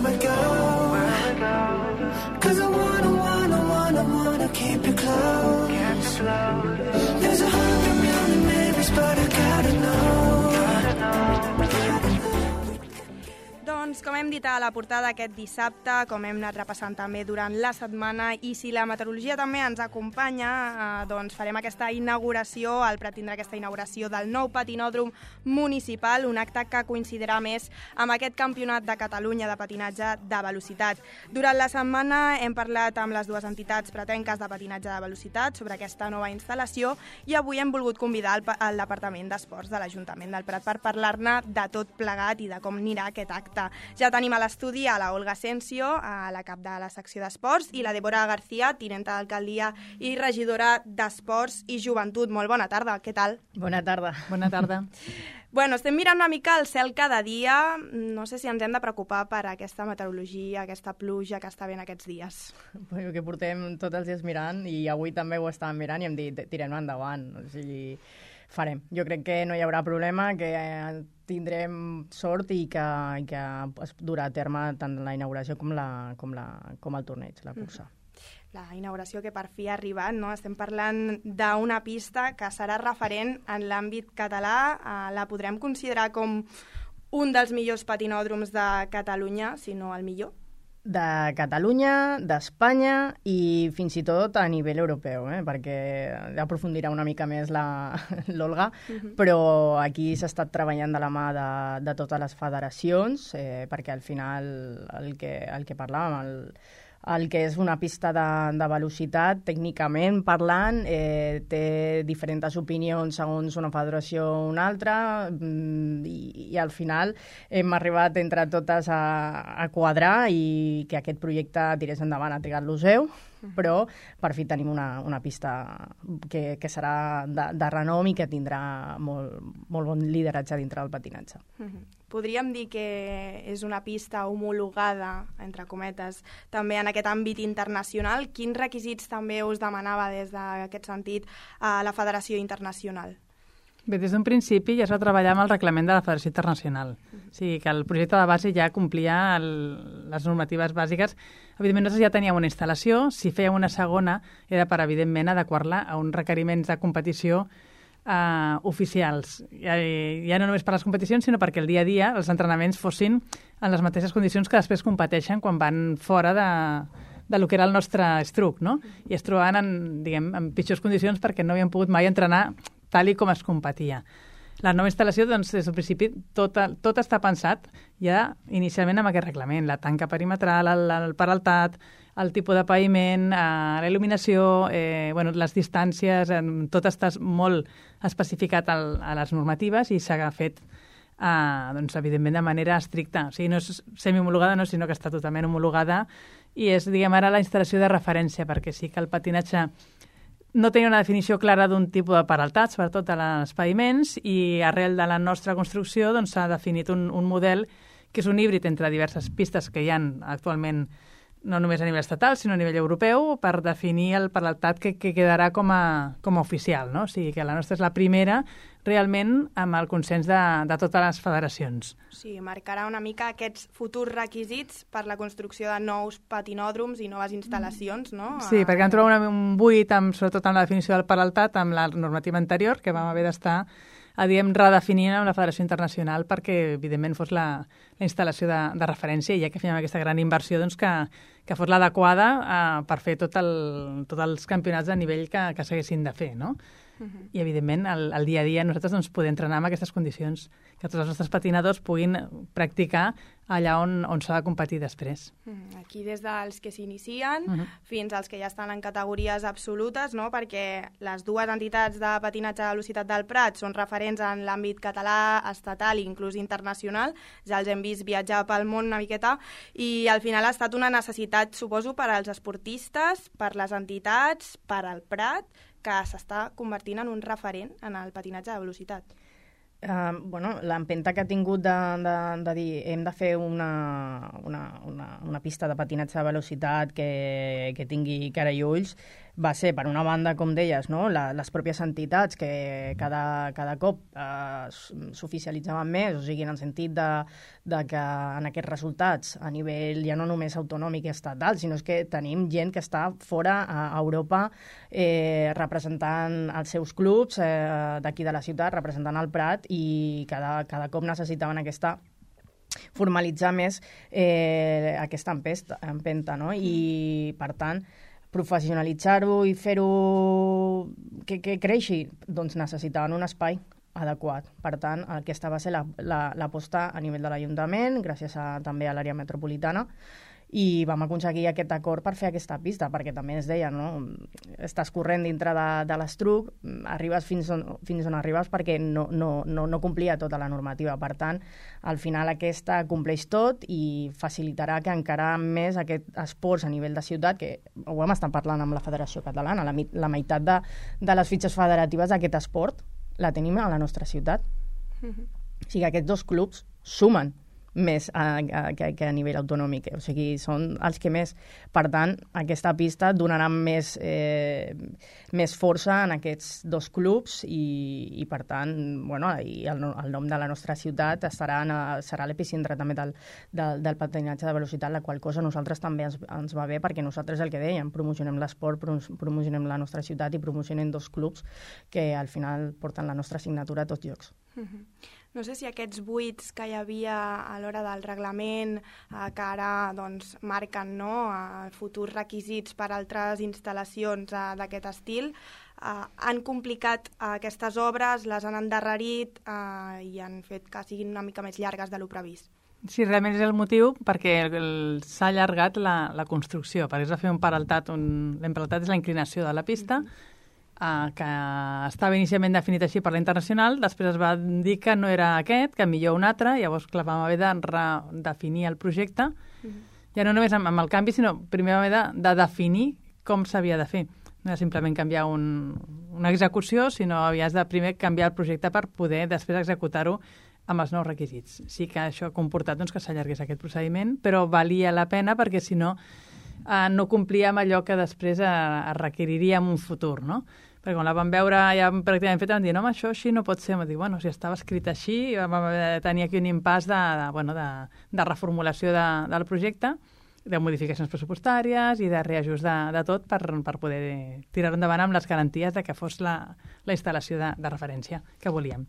we go. Cause I wanna keep you close. There's 100 million babies, but I gotta know. Doncs, com hem dit a la portada aquest dissabte, com hem anat repassant també durant la setmana, i si la meteorologia també ens acompanya, doncs farem aquesta inauguració, el Prat tindrà aquesta inauguració del nou patinòdrom municipal, un acte que coincidirà més amb aquest campionat de Catalunya de patinatge de velocitat. Durant la setmana hem parlat amb les dues entitats pratenques de patinatge de velocitat sobre aquesta nova instal·lació i avui hem volgut convidar el Departament d'Esports de l'Ajuntament del Prat per parlar-ne de tot plegat i de com anirà aquest acte. Ja tenim a l'estudi a la Olga Asensio, a la cap de la secció d'Esports, i la Débora García, tinenta d'alcaldia i regidora d'Esports i Joventut. Molt bona tarda, què tal? Bona tarda. Bona tarda. Bueno, estem mirant una mica el cel cada dia. No sé si ens hem de preocupar per aquesta meteorologia, aquesta pluja que està havent aquests dies. Bueno, que portem tots els dies mirant i avui també ho estàvem mirant i hem dit tirem endavant. O sigui, farem. Jo crec que no hi haurà problema, que tindrem sort i que es durà a terme tant la inauguració com el torneig, la cursa. La inauguració que per fi ha arribat, no? Estem parlant d'una pista que serà referent en l'àmbit català. La podrem considerar com un dels millors patinòdroms de Catalunya, si no el millor? De Catalunya, d'Espanya i fins i tot a nivell europeu, perquè aprofundirà una mica més l'Olga, però aquí s'ha estat treballant de la mà de totes les federacions, perquè al final el que parlàvem, el que és una pista de velocitat, tècnicament parlant, té diferents opinions segons una federació o una altra, i al final hem arribat entre totes a quadrar i que aquest projecte tirés endavant. Ha trigat l'Useu, però per fi tenim una pista que serà de renom i que tindrà molt bon lideratge dintre del patinatge. Podríem dir que és una pista homologada, entre cometes, també en aquest àmbit internacional. Quins requisits també us demanava des d'aquest sentit a la Federació Internacional? Bé, des d'un principi ja es va treballar amb el reglament de la Federació Internacional. O sigui que el projecte de base ja complia les normatives bàsiques. Evidentment, nosaltres ja teníem una instal·lació. Si fèiem una segona, era per, evidentment, adequar-la a uns requeriments de competició oficials. Ja no només per les competicions, sinó perquè el dia a dia els entrenaments fossin en les mateixes condicions que després competeixen quan van fora de lo que era el nostre estruc, no? I es trobaven en pitjors condicions perquè no havien pogut mai entrenar tal i com es competia. La nova instal·lació, doncs, des del principi, tot està pensat ja inicialment amb aquest reglament. La tanca perimetral, el peraltat, el tipus de paviment, la il·luminació, les distàncies, tot està molt especificat a les normatives i s'ha fet, evidentment, de manera estricta. O sigui, no és semi-homologada, no, sinó que està totalment homologada i és, ara, la instal·lació de referència, perquè sí que el patinatge no tenia una definició clara d'un tipus de peraltat, sobretot als paviments, i arrel de la nostra construcció s'ha definit un model que és un híbrid entre diverses pistes que hi ha actualment, no només a nivell estatal, sinó a nivell europeu, per definir el peraltat que quedarà com a oficial, no? O sigui que la nostra és la primera, realment, amb el consens de totes les federacions. Sí, marcarà una mica aquests futurs requisits per la construcció de nous patinòdroms i noves instal·lacions, no? Sí, perquè vam trobar un buit, sobretot amb la definició del peraltat, amb la normativa anterior, que vam haver d'estar redefinint amb la Federació Internacional perquè, evidentment, fos la instal·lació de referència, i ja que fèiem aquesta gran inversió, que fos l'adequada per fer tots els campionats de nivell que s'haguessin de fer, no? I, evidentment, el dia a dia nosaltres poder entrenar en aquestes condicions, que tots els nostres patinadors puguin practicar allà on s'ha de competir després. Aquí des dels que s'inicien fins als que ja estan en categories absolutes, no? Perquè les dues entitats de patinatge de velocitat del Prat són referents en l'àmbit català, estatal i inclús internacional. Ja els hem vist viatjar pel món una miqueta i al final ha estat una necessitat, suposo, per als esportistes, per les entitats, per al Prat, que s'està convertint en un referent en el patinatge de velocitat. L'empenta que ha tingut de dir hem de fer una pista de patinatge de velocitat que tingui cara i ulls, va ser, per una banda, com deies, no? Les pròpies entitats que cada cop s'oficialitzaven més, o sigui, en el sentit de que en aquests resultats, a nivell ja no només autonòmic i estatal, sinó que tenim gent que està fora a Europa representant els seus clubs d'aquí de la ciutat, representant el Prat, i cada cop necessitaven formalitzar més aquesta empenta, no? I, per tant, professionalitzar-ho i fer-ho que creixi, doncs necessitaven un espai adequat. Per tant, aquesta va ser l'aposta a nivell de l'Ajuntament, gràcies també a l'àrea metropolitana, i vam aconseguir aquest acord per fer aquesta pista, perquè també es deia, no? Estàs corrent dintre de l'estruc, arribes fins on arribes perquè no complia tota la normativa. Per tant, al final aquesta compleix tot i facilitarà que encara més aquest esports a nivell de ciutat, que ho hem estat parlant amb la Federació Catalana, la meitat de les fitxes federatives d'aquest esport la tenim a la nostra ciutat. O sigui, aquests dos clubs sumen més que a nivell autonòmic, o sigui, són els que més. Per tant, aquesta pista donarà més força en aquests dos clubs i per tant, i el nom de la nostra ciutat serà l'epicentre també del patinatge de velocitat, la qual cosa a nosaltres també ens va bé, perquè nosaltres el que dèiem, promocionem l'esport, promocionem la nostra ciutat i promocionem dos clubs que al final porten la nostra signatura a tots llocs. No sé si aquests buits que hi havia a l'hora del reglament, que ara marquen futurs requisits per a altres instal·lacions d'aquest estil, han complicat aquestes obres, les han endarrerit i han fet que siguin una mica més llargues de lo previst. Sí, realment és el motiu perquè s'ha allargat la construcció, perquè es va fer un peraltat, l'emperaltat és la inclinació de la pista, que estava inicialment definit així per la internacional, després es va dir que no era aquest, que millor un altre, llavors clar, vam haver de redefinir el projecte, ja no només amb el canvi, sinó primer vam haver de definir com s'havia de fer. No era simplement canviar una execució, sinó havies de primer canviar el projecte per poder després executar-ho amb els nous requisits. Sí que això ha comportat que s'allargués aquest procediment, però valia la pena perquè si no complia amb allò que després es requeriria en un futur, no? Perquè quan la vam veure ja pràcticament feta vam dir, no, això així no pot ser. Vam dir, si estava escrit així, vam tenir aquí un impàs de reformulació del projecte, de modificacions pressupostàries i de reajust de tot per poder tirar endavant amb les garanties de que fos la instal·lació de referència que volíem.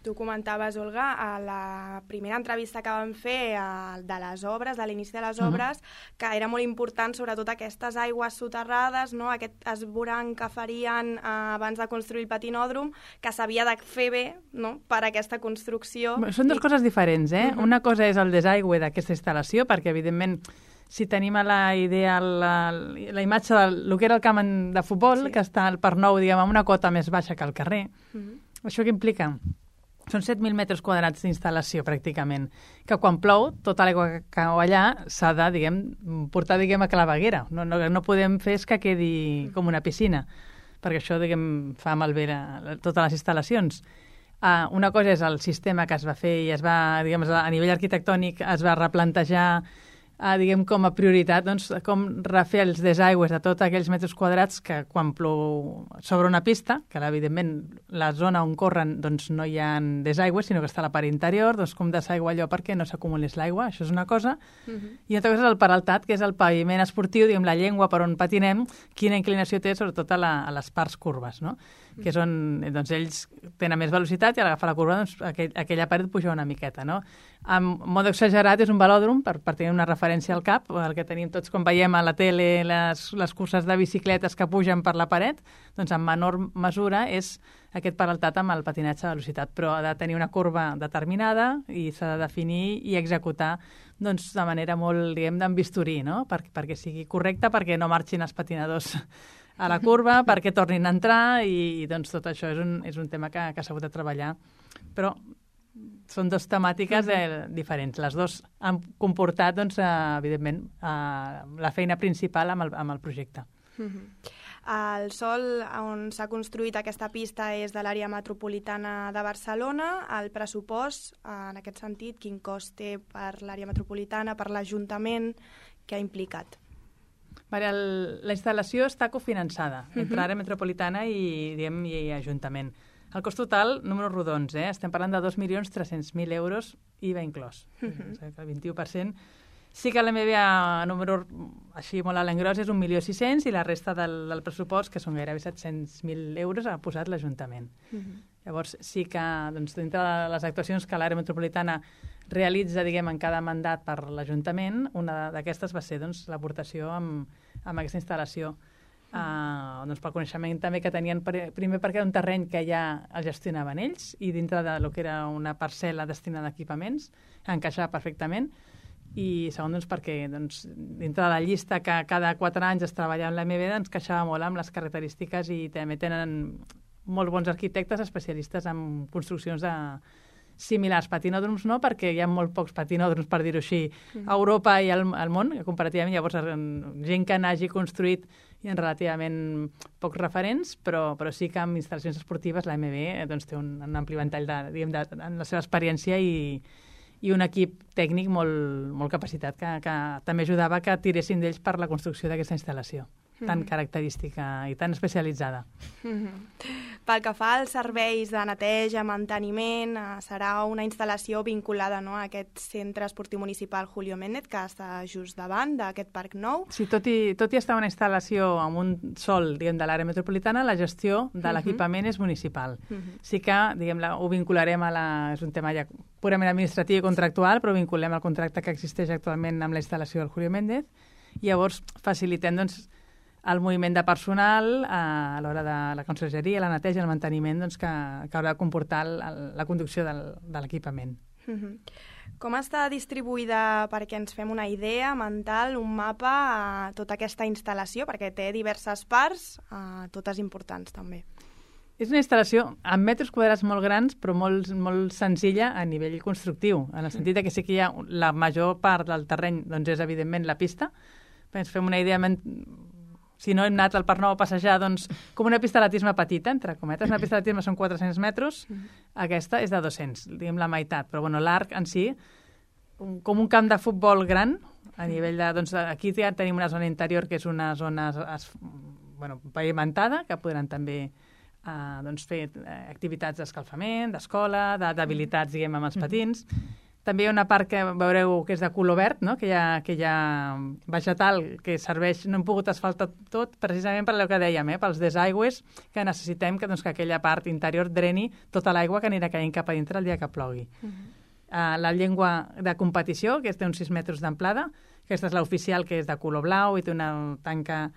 Tu comentaves, Olga, a la primera entrevista que vam fer de les obres, de l'inici de les obres, que era molt important sobretot aquestes aigües soterrades, no? Aquest esvoranc que farien abans de construir el patinòdrom, que s'havia de fer bé, no?, per aquesta construcció. Són dues coses diferents, eh? Una cosa és el desaigüe d'aquesta instal·lació, perquè evidentment si tenim a la idea la imatge del que era el camp de futbol, que està al Parc Nou, diguem, amb una cota més baixa que al carrer, això què implica? Són 7.000 metres quadrats d'instal·lació, pràcticament, que quan plou, tota l'aigua que cau allà s'ha de, portar, a claveguera. No podem fer que quedi com una piscina, perquè això, fa malbé totes les instal·lacions. Una cosa és el sistema que es va fer i a nivell arquitectònic es va replantejar com a prioritat, com refer els desaigües de tots aquells metres quadrats que quan plou sobre una pista, que evidentment la zona on corren no hi ha desaigües, sinó que està a la part interior, com desaigua allò perquè no s'acumulés l'aigua, això és una cosa. I una altra cosa és el peraltat, que és el paviment esportiu, la llengua per on patinem, quina inclinació té sobretot a les parts curves, no? Que és on ells tenen més velocitat i a l'agafar la curva aquella paret puja una miqueta, no? En mode exagerat és un velòdrom, per tenir una referència al cap, el que tenim tots quan veiem a la tele les curses de bicicletes que pugen per la paret, en menor mesura és aquest peraltat amb el patinatge de velocitat, però ha de tenir una curva determinada i s'ha de definir i executar de manera molt, d'en bisturí, no? Perquè sigui correcte, perquè no marxin els patinadors a la curva, perquè tornin a entrar i tot això és un tema que s'ha hagut de treballar. Però són dues temàtiques diferents. Les dues han comportat, evidentment, la feina principal amb el projecte. El sòl on s'ha construït aquesta pista és de l'àrea metropolitana de Barcelona. El pressupost, en aquest sentit, quin cost té per l'àrea metropolitana, per l'Ajuntament, què ha implicat? Vale, la instal·lació està cofinançada entre àrea metropolitana i Ajuntament. El cost total, números rodons, estem parlant de 2.300.000 euros, IVA inclòs. O sigui que el 21%. Sí que l'MB a número així molt a l'engròs és 1.600.000 i la resta del pressupost, que són gairebé 700.000 euros, ha posat l'Ajuntament. Llavors, sí que dintre de les actuacions que l'àrea metropolitana realitza, diguem, en cada mandat per l'Ajuntament, una d'aquestes va ser l'aportació amb aquesta instal·lació. Pel coneixement també que tenien, primer perquè era un terreny que ja el gestionaven ells i dintre del que era una parcel·la destinada a equipaments encaixava perfectament, i segon perquè dintre de la llista que cada 4 anys es treballa amb l'AMB ens queixava molt amb les característiques i també tenen molt bons arquitectes especialistes en construccions similars. Patinòdroms no, perquè hi ha molt pocs patinòdroms, per dir-ho així, a Europa i al món, comparativament. Llavors, gent que n'hagi construït hi ha relativament pocs referents, però sí que amb instal·lacions esportives l'AMB té un ampli ventall en la seva experiència i un equip tècnic molt capacitat que també ajudava que tiressin d'ells per la construcció d'aquesta instal·lació tan característica i tan especialitzada. Pel que fa als serveis de neteja, manteniment, serà una instal·lació vinculada a aquest centre esportiu municipal Julio Méndez, que està just davant d'aquest parc nou. Sí, tot i estar una instal·lació amb un sol, diguem, de l'àrea metropolitana, la gestió de l'equipament és municipal. Sí que, diguem, ho vincularem és un tema ja purament administratiu i contractual, però vinculem el contracte que existeix actualment amb la instal·lació del Julio Méndez, i llavors facilitem, el moviment de personal a l'hora de la consergeria, la neteja, el manteniment que haurà de comportar la conducció de l'equipament. Com està distribuïda, perquè ens fem una idea mental, un mapa a tota aquesta instal·lació, perquè té diverses parts, totes importants també? És una instal·lació amb metres quadrats molt grans, però molt, molt senzilla a nivell constructiu, en el sentit que sí que hi ha la major part del terreny, és evidentment la pista. Ens fem una idea, si no hem anat al Parc Nou a passejar, com una pista d'atletisme petita, entre cometes. Una pista d'atletisme són 400 metres, aquesta és de 200, diguem la meitat, però l'arc en si, com un camp de futbol gran, a nivell de... aquí ja tenim una zona interior que és una zona pavimentada, que podran també fer activitats d'escalfament, d'escola, d'habilitats, diguem, amb els patins. També hi ha una part que veureu que és de color verd, no? que hi ha vegetal que serveix, no hem pogut asfaltar tot, precisament per allò que dèiem, pels desaigües, que necessitem que aquella part interior dreni tota l'aigua que anirà caient cap a dintre el dia que plogui. La llengua de competició, que té uns 6 metres d'amplada, aquesta és l'oficial, que és de color blau i té una tanca,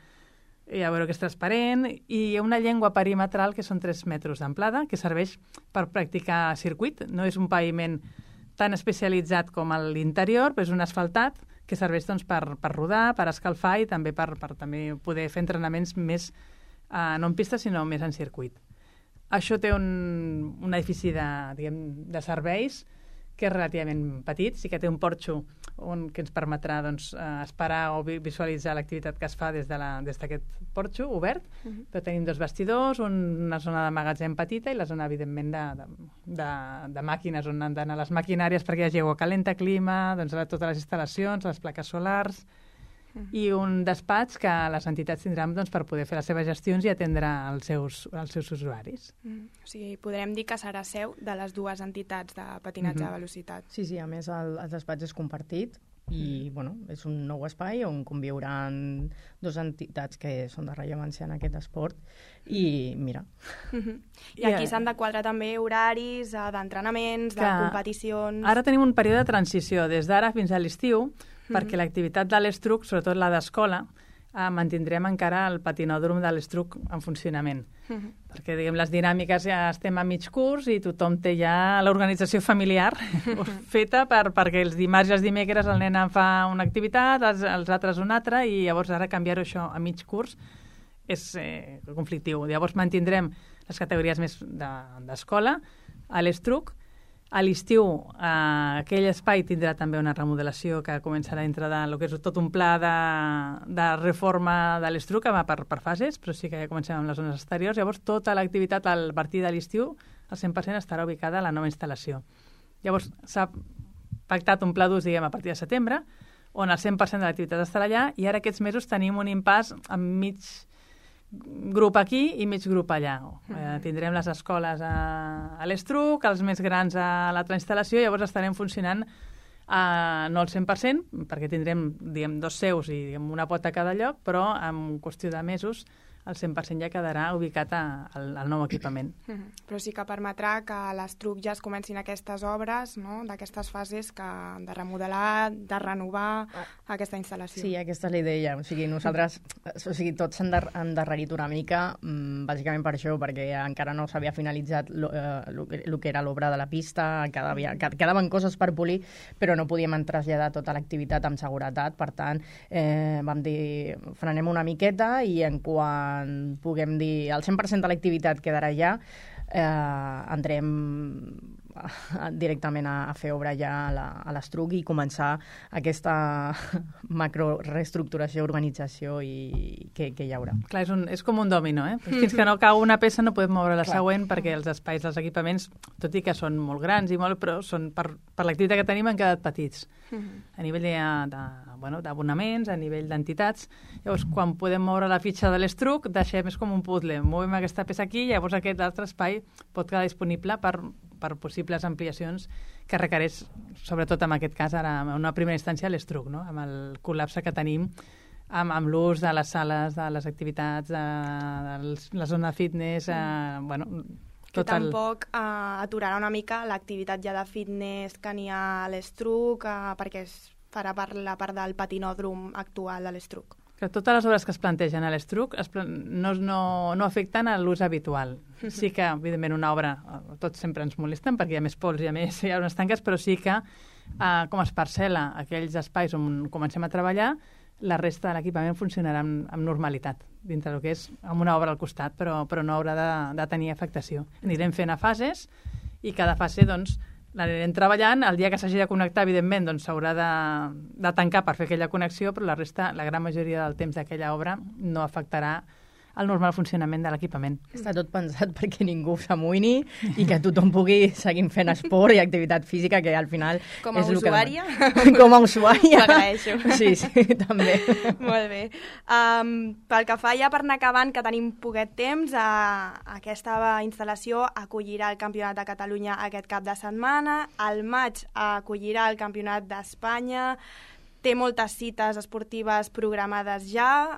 ja veureu que és transparent, i hi ha una llengua perimetral que són 3 metres d'amplada, que serveix per practicar circuit, no és un paviment tan especialitzat com l'interior, però és un asfaltat que serveix per rodar, per escalfar i també per també poder fer entrenaments més, no en pista, sinó més en circuit. Això té un edifici de serveis que és relativament petit, sí que té un porxo que ens permetrà esperar o visualitzar l'activitat que es fa des d'aquest porxo obert, però tenim 2 vestidors, una zona de magatzem petita i la zona, evidentment, de màquines on han d'anar les maquinàries perquè hi hagi aigua calenta, clima, totes les instal·lacions, les plaques solars, i un despatx que les entitats tindran per poder fer les seves gestions i atendre els seus usuaris. O sigui, podrem dir que serà seu de les 2 entitats de patinatge de velocitat. Sí, a més el despatx és compartit i és un nou espai on conviuran 2 entitats que són de rellevància en aquest esport i mira. I aquí s'han de quadrar també horaris d'entrenaments, de competicions... Ara tenim un període de transició des d'ara fins a l'estiu, perquè l'activitat de l'Estruc, sobretot la d'escola, mantindrem encara el patinòdrom de l'Estruc en funcionament. Perquè, diguem, les dinàmiques ja estem a mig curs i tothom té ja l'organització familiar feta perquè els dimarts i els dimecres el nen fa una activitat, els altres una altra, i llavors ara canviar-ho això a mig curs és conflictiu. Llavors mantindrem les categories més d'escola a l'Estruc. A l'estiu, aquell espai tindrà també una remodelació que començarà dintre del que és tot un pla de reforma de l'Estruc, que va per fases, però sí que ja comencem amb les zones exteriors. Llavors, tota l'activitat a partir de l'estiu, al 100% estarà ubicada a la nova instal·lació. Llavors, s'ha pactat un pla d'ús, diguem, a partir de setembre, on el 100% de l'activitat estarà allà, i ara aquests mesos tenim un impàs amb mig grup aquí i mig grup allà. Tindrem les escoles a l'Estruc, els més grans a l'altra instal·lació, llavors estarem funcionant no al 100%, perquè tindrem, diguem, 2 seus i una pota a cada lloc, però en qüestió de mesos el 100% ja quedarà ubicat al nou equipament. Però sí que permetrà que a l'Estruc ja es comencin aquestes obres, no?, d'aquestes fases de remodelar, de renovar aquesta instal·lació. Sí, aquesta és la idea. O sigui, nosaltres, tots s'han endarrerit una mica, bàsicament per això, perquè encara no s'havia finalitzat el que era l'obra de la pista, quedaven coses per polir, però no podíem traslladar tota l'activitat amb seguretat. Per tant, vam dir, frenem una miqueta i en quan puguem dir el 100% de l'activitat quedarà ja, entrem directament a fer obra ja a l'Estruc i començar aquesta macroreestructuració, organització que hi haurà. Clar, és com un dòmino, eh? Fins que no cau una peça no podem moure la següent, perquè els espais dels equipaments, tot i que són molt grans i molt, però per l'activitat que tenim han quedat petits. A nivell d'abonaments, a nivell d'entitats. Llavors, quan podem moure la fitxa de l'Estruc, deixem, és com un puzzle, movem aquesta peça aquí, llavors aquest altre espai pot quedar disponible per possibles ampliacions que requereix, sobretot en aquest cas, ara, en una primera instància, l'Estruc, no?, amb el col·lapse que tenim amb l'ús de les sales, de les activitats, de la zona fitness, que tampoc aturarà una mica l'activitat ja de fitness que n'hi ha a l'Estruc, perquè es farà per la part del patinòdrom actual de l'Estruc. Que totes les obres que es plantegen a l'Estruc no afecten a l'ús habitual. Sí que, evidentment, una obra, tots sempre ens molesten perquè hi ha més pols, hi ha unes tanques, però sí que, com es parcel·la aquells espais on comencem a treballar, la resta de l'equipament funcionarà amb normalitat, dintre del que és amb una obra al costat, però no haurà de tenir afectació. Anirem fent a fases i cada fase, doncs, l'anirem treballant. El dia que s'hagi de connectar, evidentment, doncs s'haurà de tancar per fer aquella connexió, però la resta, la gran majoria del temps d'aquella obra, no afectarà el normal funcionament de l'equipament. Està tot pensat perquè ningú s'amoïni i que tothom pugui seguir fent esport i activitat física, que al final com a és usuària? Com a usuària. T'agraeixo. Sí, també. Molt bé. Pel que fa ja per anar acabant, que tenim poquet temps, aquesta instal·lació acollirà el Campionat de Catalunya aquest cap de setmana, al maig acollirà el Campionat d'Espanya, té moltes cites esportives programades ja,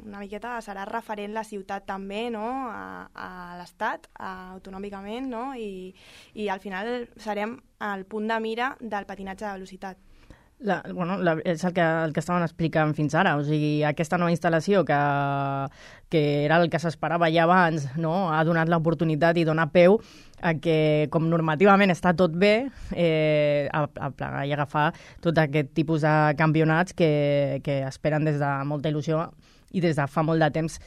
una miqueta serà referent la ciutat també, no?, a l'Estat, autonòmicament, no?, i al final serem al punt de mira del patinatge de velocitat. És el que estaven explicant fins ara, o sigui, aquesta nova instal·lació que era el que s'esperava ja abans, no?, ha donat l'oportunitat i dona peu a que, com normativament està tot bé, a plegar i agafar tot aquest tipus de campionats que esperen des de molta il·lusió i des de fa molt de temps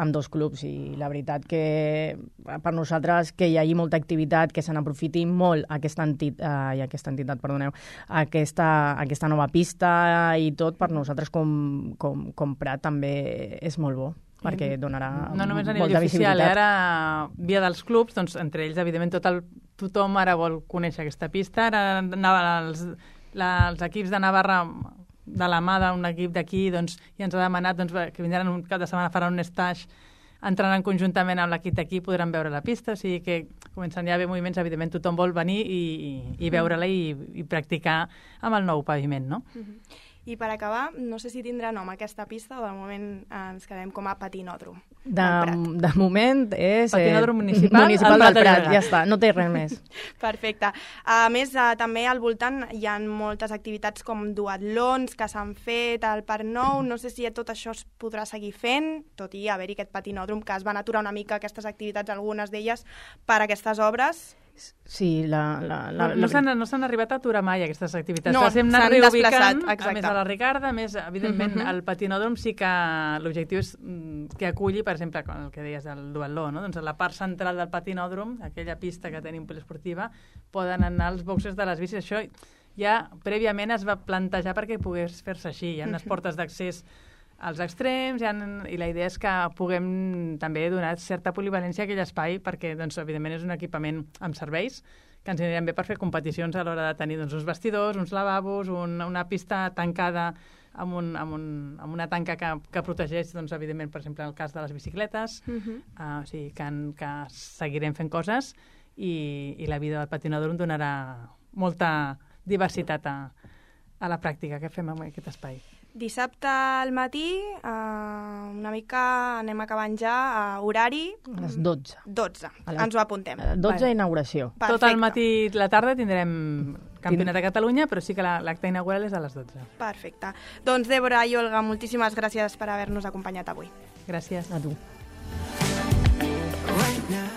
amb 2 clubs. I la veritat que per nosaltres que hi hagi molta activitat, que se n'aprofiti molt aquesta nova pista i tot, per nosaltres com Prat també és molt bo, perquè donarà no només a nivell oficial, ara via dels clubs, doncs entre ells evidentment tothom ara vol conèixer aquesta pista. Ara els equips de Navarra, de la mà d'un equip d'aquí, doncs, ja ens ha demanat que vindran un cap de setmana, faran un stage, entraran conjuntament amb l'equip d'aquí, podran veure la pista, o sigui que comencen ja a haver moviments, evidentment tothom vol venir i veure-la i practicar amb el nou paviment, no? I per acabar, no sé si tindrà nom aquesta pista o de moment ens quedem com a patinòdrom. De moment és patinòdrom municipal del Prat, ja està, no té res més. Perfecte. A més, també al voltant hi ha moltes activitats com duatlons que s'han fet al Parc Nou. No sé si tot això es podrà seguir fent, tot i haver-hi aquest patinòdrom, que es van aturar una mica aquestes activitats, algunes d'elles, per aquestes obres. Sí, no s'han arribat a aturar mai aquestes activitats. No, s'han desplaçat, exacte. A més a la Ricarda, a més, evidentment, el patinòdrom sí que l'objectiu és que aculli, per exemple, el que deies del duatló, no? Doncs a la part central del patinòdrom, aquella pista que tenim poliesportiva, poden anar als boxes de les bicis. Això ja prèviament es va plantejar perquè pogués fer-se així. Hi ha unes portes d'accés als extrems, i la idea és que puguem també donar certa polivalència a aquell espai, perquè, doncs, evidentment, és un equipament amb serveis que ens aniran bé per fer competicions a l'hora de tenir doncs, uns vestidors, uns lavabos, una pista tancada amb una tanca que protegeix, doncs, evidentment, per exemple, en el cas de les bicicletes. O sigui, que seguirem fent coses i la vida del patinador em donarà molta diversitat a la pràctica que fem en aquest espai. Dissabte al matí, una mica anem acabant ja, horari... A les 12. 12, ens ho apuntem. 12 inauguració. Perfecte. Tot el matí i la tarda tindrem Campionat de Catalunya, però sí que l'acte inaugural és a les 12. Perfecte. Doncs, Débora i Olga, moltíssimes gràcies per haver-nos acompanyat avui. Gràcies. A tu. Right now